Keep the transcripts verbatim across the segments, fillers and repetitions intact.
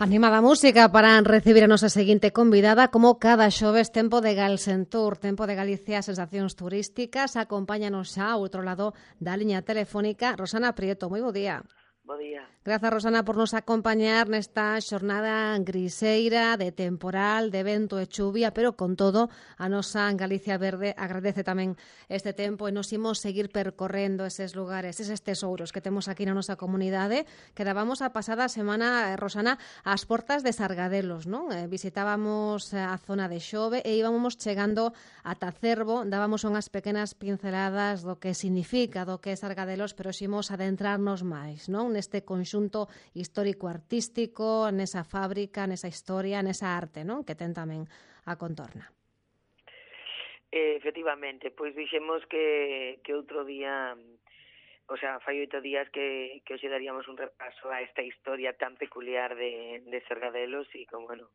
Animada música para recibir a nosa seguinte convidada. Como cada xoves, tempo de Galsentur, tempo de Galicia, sensacións turísticas. Acompáñanos xa ao outro lado da liña telefónica Rosana Prieto. Moi bo día. Bo día. Grazas, Rosana, por nos acompañar nesta xornada griseira de temporal, de vento e chuvia, pero con todo a nosa Galicia Verde agradece tamén este tempo e nos imos seguir percorrendo eses lugares, eses tesouros que temos aquí na nosa comunidade. Quedábamos a pasada semana, Rosana, ás portas de Sargadelos, non? Eh, visitábamos a zona de Xove e íbamos chegando ata Cervo, dábamos unhas pequenas pinceladas do que significa, do que é Sargadelos, pero ximos adentrarnos máis, non? Neste conxunto histórico-artístico, nesa fábrica, nesa historia, nesa arte, non? Que ten tamén a contorna. Eh, efectivamente, pois dixemos que, que outro día, o sea, fai oito días que, que hoxe daríamos un repaso a esta historia tan peculiar de, de Sargadelos e como, bueno,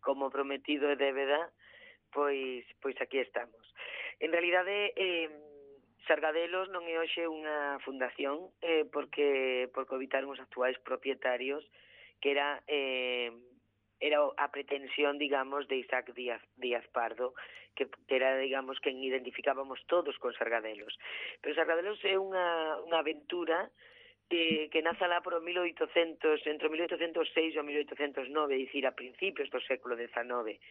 como prometido e débeda, pois, pois aquí estamos. En realidade, eh, Sargadelos non é hoxe unha fundación eh, porque por cohabitaron os actuais propietarios que era eh, era a pretensión, digamos, de Isaac Díaz, Díaz Pardo, que era, digamos, quen identificábamos todos con Sargadelos. Pero Sargadelos é unha, unha aventura que, que naza lá por mil oitocentos, entre mil oitocentos seis e mil oitocentos nove, é dicir, a principios do século dezanove.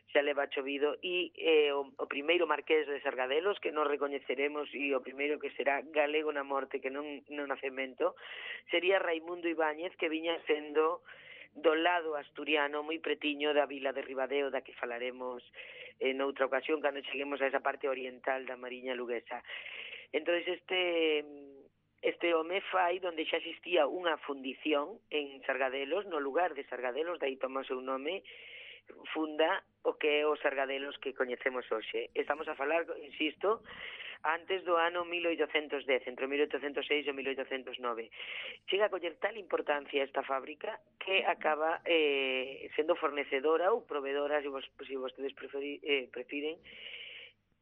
Xa leva chovido e eh, o, o primeiro marqués de Sargadelos que nos recoñeceremos e o primeiro que será galego na morte que non no nacemento sería Raimundo Ibáñez, que viña sendo do lado asturiano moi pretiño da vila de Ribadeo, da que falaremos en outra ocasión cando cheguemos a esa parte oriental da Mariña Luguesa. Entón este este home fai donde xa existía unha fundición en Sargadelos, no lugar de Sargadelos, dai toma o seu nome, funda o que é os Sargadelos que coñecemos hoxe. Estamos a falar, insisto, antes do ano mil oitocentos dez, entre mil oitocentos seis e mil oitocentos nove. Chega a coller tal importancia esta fábrica que acaba eh, sendo fornecedora ou provedora, se, vos, se vostedes preferi, eh, prefiren,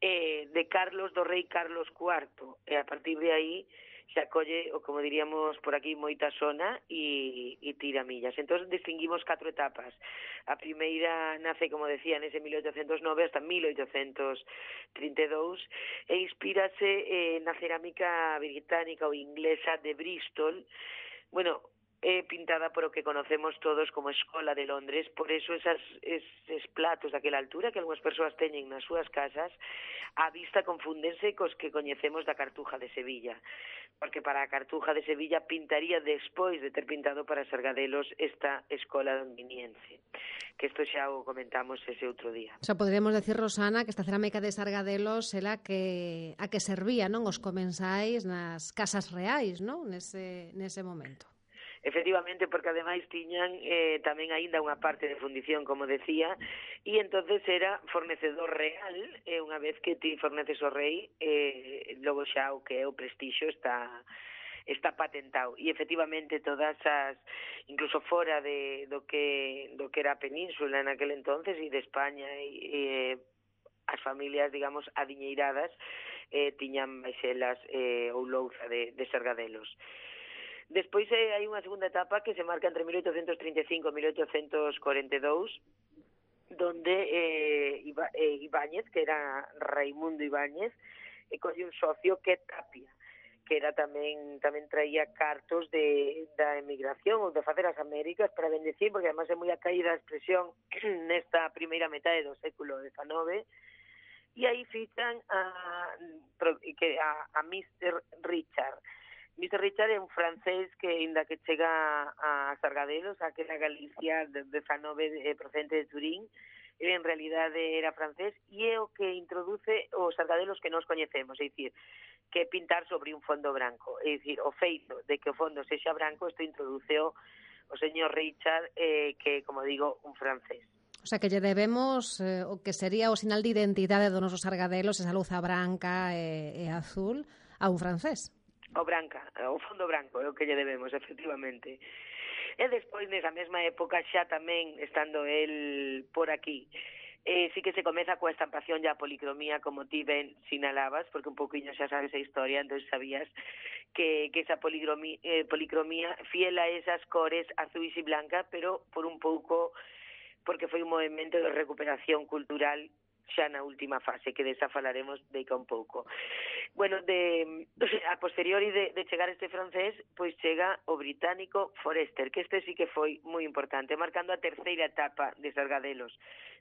eh, de Carlos, do rei Carlos cuarto. E a partir de aí se acolle, o como diríamos por aquí, moita zona e, e tira millas. Entón, distinguimos catro etapas. A primeira nace, como decía, nese mil oitocentos nove hasta mil oitocentos trinta e dous e inspírase eh, na cerámica británica ou inglesa de Bristol, bueno, é pintada por o que conocemos todos como Escola de Londres, por eso esas, eses platos daquela altura que algunhas persoas teñen nas súas casas, a vista confúndense cos que coñecemos da Cartuja de Sevilla, porque para a Cartuja de Sevilla pintaría despois de ter pintado para Sargadelos esta escola londiniense, que isto xa o comentamos ese outro día. O sea, poderíamos decir, Rosana, que esta cerámica de Sargadelos era que a que servía, non, os comensais nas casas reais, non, nese, nese momento. Efectivamente, porque ademais tiñan eh, tamén aínda unha parte de fundición, como decía, e entonces era fornecedor real, e unha vez que ti forneces o rei, eh, logo xa o que é o prestixio está está patentado. E efectivamente todas as, incluso fora de do que do que era a península en aquel entonces e de España e, e as familias, digamos, adiñeiradas eh, tiñan baixelas eh, ou louza de, de Sargadelos. Despois eh, hai unha segunda etapa que se marca entre mil oitocentos trinta e cinco e mil oitocentos cuarenta e dous, donde eh, Iba, eh, Ibáñez, que era Raimundo Ibáñez, e colle un socio que é Tapia, que era tamén tamén traía cartos de da emigración ou de facer as Américas para bendecir, porque además é moi a caída a expresión nesta primeira metade do século dezanove, e aí fichan a, a, a mister Richard. mister Richard é un francés que, inda que chega a Sargadelos, a aquela Galicia de dezanove procedente de Turín, ele en realidade era francés e é o que introduce os Sargadelos que nós coñecemos, é dicir, que é pintar sobre un fondo branco, é dicir, o feito de que o fondo sexa branco, isto introduceo o señor Richard, eh, que, como digo, un francés. O sea, que lle debemos eh, o que sería o sinal de identidade dos nosos Sargadelos, esa luza branca e, e azul, a un francés. O branca, o fondo branco é o que lle debemos, efectivamente. E despois, nesa mesma época, xa tamén estando el por aquí, Eh, sí que se comeza coa estampación e a policromía, como ti ben sinalabas, porque un pouquiño xa sabes a historia, entón sabías que, que esa policromía, eh, policromía fiel a esas cores azuis e blanca, pero por un pouco, porque foi un movimento de recuperación cultural xa na última fase, que desa falaremos deica un pouco. Bueno, de, a posteriori de, de chegar este francés, pois chega o británico Forester, que este sí que foi moi importante, marcando a terceira etapa de Sargadelos,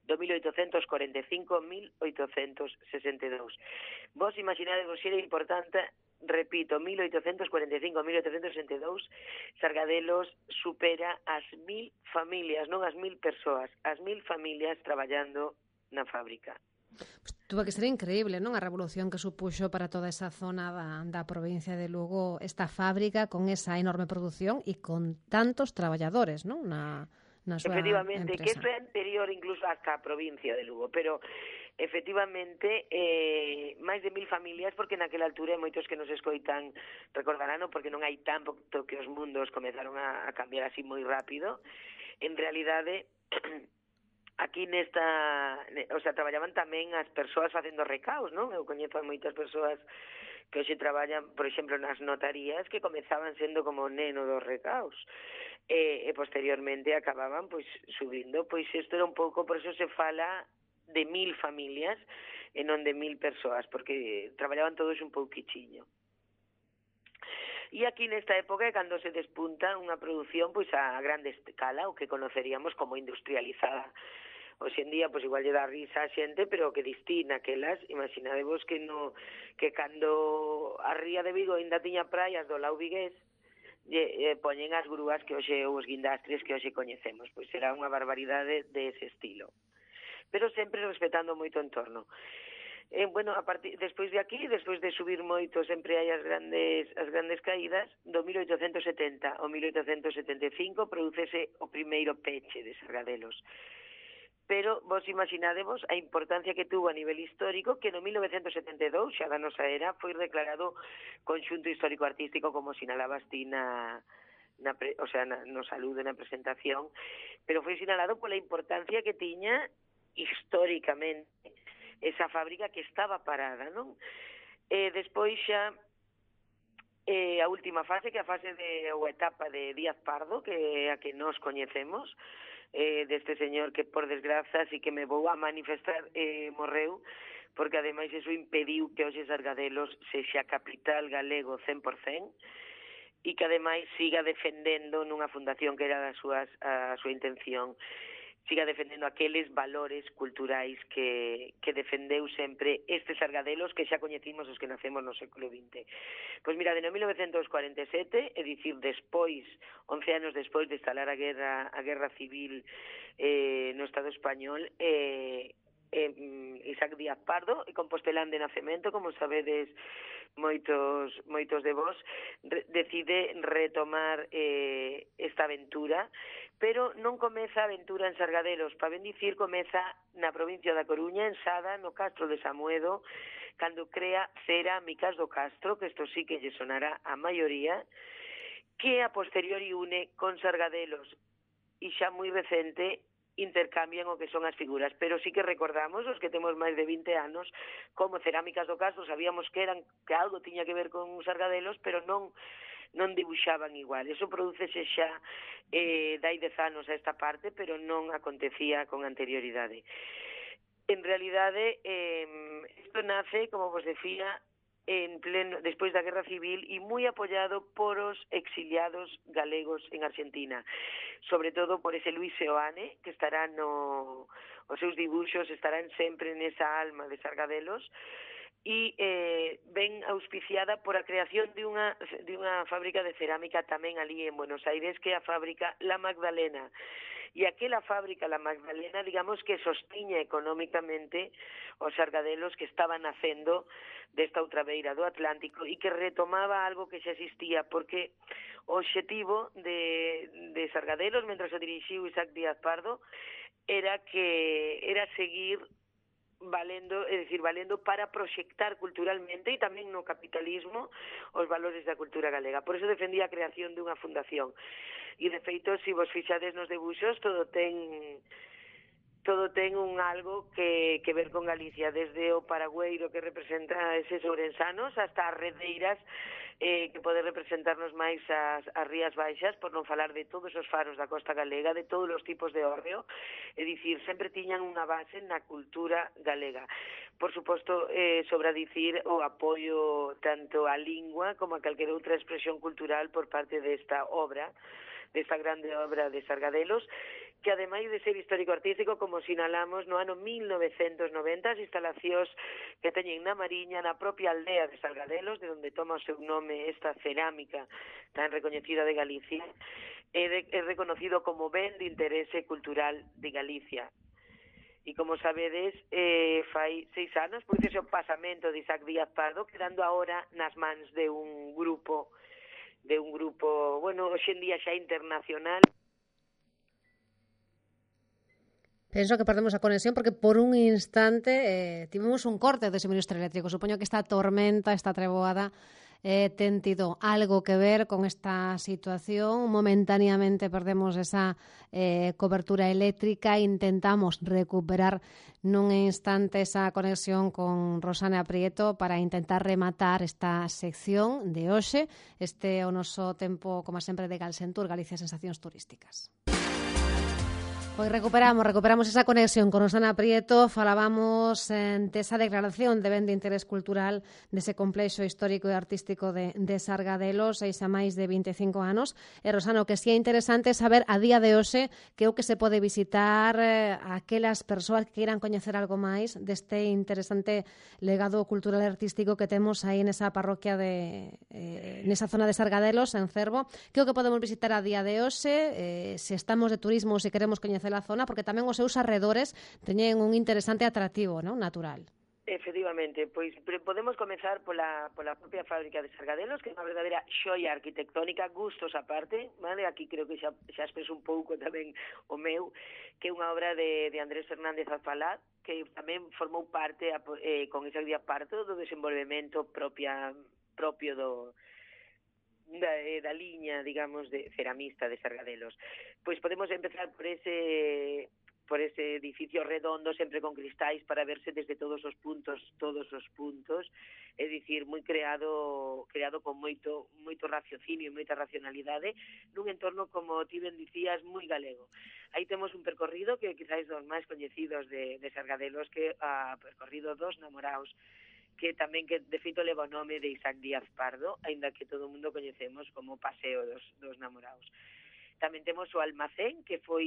do mil oitocentos cuarenta e cinco a mil oitocentos sesenta e dous. Vos imaginades vos era importante, repito, mil oitocentos cuarenta e cinco a mil oitocentos sesenta e dous, Sargadelos supera as mil familias, non as mil persoas, as mil familias traballando na fábrica. Pues tuvo que ser increíble, non? A revolución que supuxo para toda esa zona da, da provincia de Lugo esta fábrica con esa enorme produción e con tantos traballadores, non? Na, na súa efectivamente, empresa. Que isto é anterior incluso hasta a provincia de Lugo, pero efectivamente eh, máis de mil familias, porque naquela altura moitos que nos escoitan recordarán, porque non hai tanto que os mundos comezaron a, a cambiar así moi rápido. En realidade aquí nesta, o sea, traballaban tamén as persoas facendo recaos, non? Eu coñezo a moitas persoas que hoxe traballan, por exemplo, nas notarías, que comezaban sendo como neno dos recaos, e, e posteriormente acababan, pois, subindo, pois isto era un pouco, por eso se fala de mil familias e non de mil persoas, porque traballaban todos un pouquichiño. E aquí nesta época é cando se despunta unha produción pois a grande escala, o que conoceríamos como industrializada. Hoxe en día, pois igual lle dá risa a xente, pero que distina aquelas, imaginadevos que no que cando a ría de Vigo ainda tiña praias do lado vigués, e, e poñen as grúas que hoxe os guindastres que hoxe coñecemos, pois era unha barbaridade de ese estilo. Pero sempre respetando moito o entorno. Eh, bueno, a partir, despois de aquí, despois de subir moito, sempre hai as grandes as grandes caídas. Do mil oitocentos setenta ao mil oitocentos setenta e cinco prodúcese o primeiro peche de Sargadelos. Pero vos imaginadevos a importancia que tuvo a nivel histórico, que no mil novecentos setenta e dous, xa da nosa era, foi declarado conxunto histórico-artístico, como sinalabas ti na, na pre, o sea, na, no saludo, na presentación, pero foi sinalado pola importancia que tiña históricamente esa fábrica que estaba parada, non? Eh, despois xa eh, a última fase, que é a fase de, ou etapa de Díaz Pardo, que é a que nos coñecemos, eh, deste señor que por desgraza sí que me vou a manifestar, eh, morreu, porque ademais eso impediu que hoxe Sargadelos sexa capital galego cen por cen, e que ademais siga defendendo nunha fundación que era das súas, a súa intención, siga defendendo aqueles valores culturais que, que defendeu sempre estes Sargadelos que xa coñecimos os que nacemos no século vinte. Pois mira, de no mil novecentos cuarenta e sete, é dicir, despois, once anos despois de instalar a guerra a guerra civil eh, no Estado español, eh, eh, Isaac Díaz Pardo, e compostelán de nacemento, como sabedes moitos moitos de vos, re, decide retomar eh, esta aventura, pero non comeza a aventura en Sargadelos, para ben dicir, comeza na provincia da Coruña, en Sada, no Castro de Samuedo, cando crea Cerámicas do Castro, que isto sí que lle sonará a maioría, que a posteriori une con Sargadelos, e xa moi recente intercambian o que son as figuras, pero sí que recordamos, os que temos máis de vinte anos, como Cerámicas do Castro, sabíamos que eran que algo tiña que ver con Sargadelos, pero non non dibuixaban igual. Eso prodúcese xa eh, dai dez anos a esta parte, pero non acontecía con anterioridade. En realidade, eh, isto nace, como vos decía, en pleno, despois da Guerra Civil, e moi apoiado por os exiliados galegos en Argentina, sobre todo por ese Luis Seoane, que estará no, os seus dibuixos estarán sempre nesa alma de Sargadelos, e eh, ben auspiciada por a creación de unha, de unha fábrica de cerámica tamén ali en Buenos Aires, que é a fábrica La Magdalena. E aquela fábrica La Magdalena, digamos que sostiña económicamente os Sargadelos que estaban nacendo desta outra beira do Atlántico e que retomaba algo que xa existía, porque o obxectivo de, de Sargadelos, mentras o dirixiu Isaac Díaz Pardo, era que era seguir valendo, é dicir, valendo para proxectar culturalmente e tamén no capitalismo os valores da cultura galega. Por eso defendía a creación dunha fundación. E de feito, se vos fixades nos debuxos, todo ten todo ten un algo que, que ver con Galicia, desde o paragüeiro que representa eses ourensanos hasta as redeiras eh, que pode representarnos máis as, as rías baixas, por non falar de todos os faros da costa galega, de todos os tipos de hórreo, é dicir, sempre tiñan unha base na cultura galega. Por suposto, eh, sobra dicir o apoio tanto á lingua como a calquera outra expresión cultural por parte desta obra, desta grande obra de Sargadelos, que ademais de ser histórico-artístico, como sinalamos, no ano mil novecentos noventa, as instalacións que teñen na Mariña, na propia aldea de Sargadelos, de onde toma o seu nome esta cerámica tan recoñecida de Galicia, é, de, é reconocido como ben de interese cultural de Galicia. E como sabedes, eh, fai seis anos, pois ese o pasamento de Isaac Díaz Pardo, quedando agora nas mans de un grupo, de un grupo, bueno, hoxe en día xa internacional. Penso que perdemos a conexión porque por un instante eh, tivemos un corte de suministro eléctrico. Supoño que esta tormenta, esta treboada, eh, ten tido algo que ver con esta situación. Momentáneamente perdemos esa eh, cobertura eléctrica. Intentamos recuperar nun instante esa conexión con Rosana Prieto para intentar rematar esta sección de hoxe. Este é o noso tempo, como sempre, de Galsentur, Galicia Sensacións Turísticas. Pois recuperamos, recuperamos esa conexión con Rosana Prieto, falábamos eh, desa declaración de ben de interés cultural dese complexo histórico e artístico de, de Sargadelos, seis a máis de vinte e cinco anos. E Rosana, o que si é interesante saber a día de hoxe que é o que se pode visitar eh, aquelas persoas que queiran coñecer algo máis deste interesante legado cultural e artístico que temos aí nesa parroquia de eh, nesa zona de Sargadelos, en Cervo. Que é o que podemos visitar a día de hoxe, eh, se estamos de turismo ou se queremos coñecer a zona, porque tamén os seus arredores teñen un interesante atractivo, non, natural. Efectivamente, pois podemos comezar pola, pola propia fábrica de Sargadelos, que é unha verdadeira xoia arquitectónica, gustos aparte, vale? Aquí creo que xa, xa expreso un pouco tamén o meu, que é unha obra de, de Andrés Fernández Alfalá, que tamén formou parte eh, con Isaac Díaz Pardo do desenvolvemento propia, propio do Da, da liña, digamos, de ceramista de Sargadelos. Pois podemos empezar por ese por ese edificio redondo, sempre con cristais, para verse desde todos os puntos, todos os puntos, é dicir, moi creado creado con moito moito raciocinio e moita racionalidade, nun entorno, como ti ben dicías, moi galego. Aí temos un percorrido que quizás dos máis coñecidos de, de Sargadelos, que é o percorrido dos namoraos, que tamén que de feito leva o nome de Isaac Díaz Pardo, aínda que todo o mundo coñecemos como Paseo dos, dos Namoraos. Tamén temos o almacén, que foi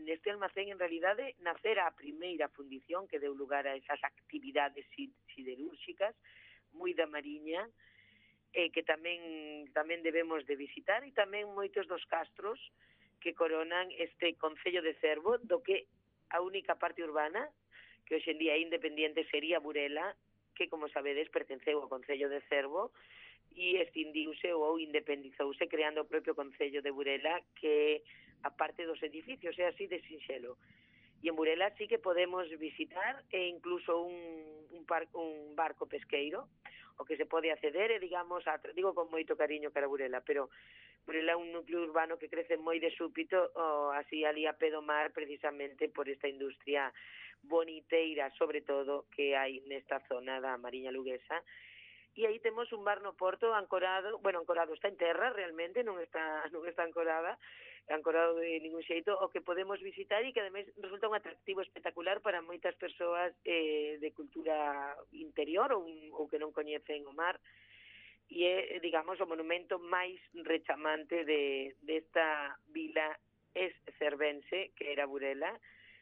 neste almacén en realidade nacera a primeira fundición que deu lugar a esas actividades siderúrxicas moi da Mariña, eh, que tamén tamén debemos de visitar, e tamén moitos dos castros que coronan este concello de Cervo, do que a única parte urbana que hoxe en día é independiente sería Burela, que, como sabedes, pertenceu ao Concello de Cervo e extindiuse ou independizouse creando o propio Concello de Burela, que a parte dos edificios é así de sinxelo. E en Burela sí que podemos visitar e incluso un, un, par, un barco pesqueiro, o que se pode acceder, e digamos, a, digo con moito cariño cara a Burela, pero Burela é un núcleo urbano que crece moi de súpito, o, así ali a pé do mar, precisamente por esta industria boniteira, sobre todo, que hai nesta zona da Mariña Luguesa. E aí temos un bar no porto ancorado, bueno, ancorado está en terra realmente, non está non está ancorada, ancorado de ningún xeito, o que podemos visitar e que ademais resulta un atractivo espectacular para moitas persoas eh, de cultura interior ou, ou que non coñecen o mar, e é, digamos, o monumento máis rechamante de desta vila ex-cervense, que era Burela,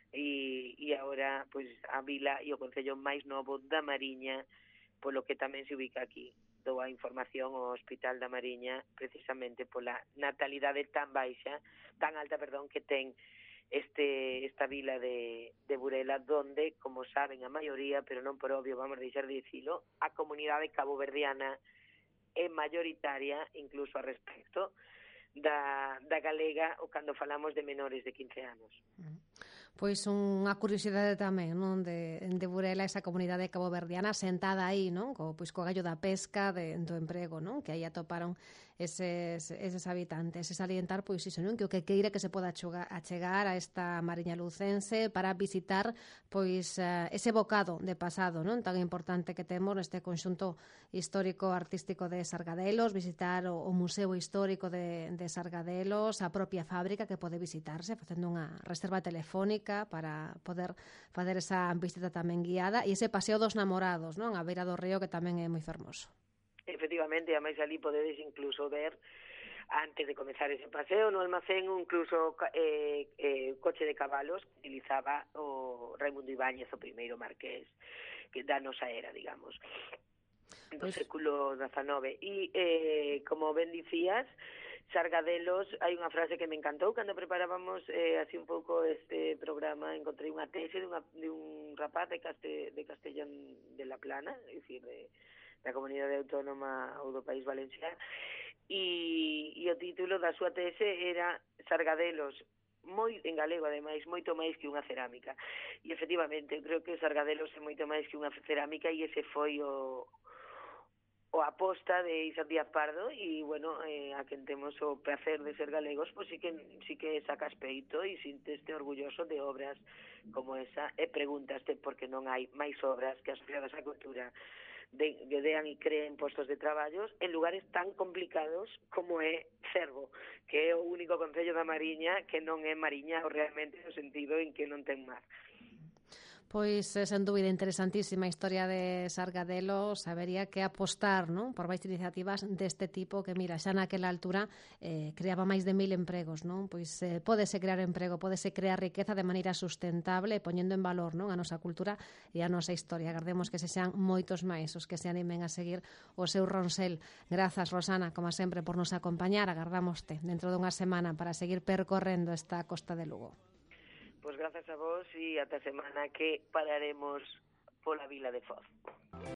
e, e agora pois, a vila e o concello máis novo da Mariña, polo que tamén se ubica aquí. Dou a información ao Hospital da Mariña precisamente pola natalidade tan baixa, tan alta, perdón, que ten este esta vila de, de Burela, donde, como saben a maioría, pero non por obvio, vamos a deixar de dicilo, a comunidade caboverdiana é mayoritaria, incluso a respecto da, da galega, ou cando falamos de menores de quince anos. Pois unha curiosidade tamén, non, de, de Burela, esa comunidade caboverdiana sentada aí, non, co, pois co gallo da pesca, de, do emprego, non, que aí atoparon eses, eses habitantes. E salientar, pois, iso, non? Que o que queira que se poda achegar a esta Mariña lucense para visitar, pois, ese bocado de pasado, non? Tan importante que temos neste conxunto histórico artístico de Sargadelos, visitar o, o Museo Histórico de, de Sargadelos, a propia fábrica que pode visitarse, facendo unha reserva telefónica para poder facer esa visita tamén guiada, e ese paseo dos namorados, non? A beira do río, que tamén é moi fermoso. Efectivamente, a máis ali podedes incluso ver, antes de comezar ese paseo, no almacén, incluso eh, eh, coche de cabalos que utilizaba o Raimundo Ibáñez, o primeiro marqués que da nosa era, digamos, do pues... século dezanove. E, eh, como ben dicías, Sargadelos, hai unha frase que me encantou cando preparábamos eh, así un pouco este programa. Encontrei unha tese de, unha, de un rapaz de, Caste, de Castellón de la Plana, é dicir, de, da comunidade autónoma ou do País Valenciano, e, e o título da súa tese era Sargadelos, moi en galego, ademais, moito máis que unha cerámica. E efectivamente, eu creo que Sargadelos é moito máis que unha cerámica, e ese foi o o aposta de Isaac Díaz Pardo. E, bueno, eh, a quen temos o placer de ser galegos, pois sí que, sí que sacas peito e sinteste orgulloso de obras como esa, e pregúntaste por que non hai máis obras que asociadas á cultura de, que dean e creen postos de traballos en lugares tan complicados como é Cervo, que é o único concello da Mariña que non é mariñao realmente, no sentido en que non ten mar. Pois, sen dúbida, interesantísima a historia de Sargadelos. Habería que apostar, non, por máis iniciativas deste tipo que, mira, xa naquela altura eh, creaba máis de mil empregos, non? Pois eh, pódese crear emprego, pódese crear riqueza de maneira sustentable, poñendo en valor, non, a nosa cultura e a nosa historia. Agardemos que se sean moitos máis os que se animen a seguir o seu ronsel. Grazas, Rosana, como sempre, por nos acompañar. Agardámoste dentro dunha semana para seguir percorrendo esta costa de Lugo. Pois grazas a vos, e ata semana que pararemos pola vila de Foz.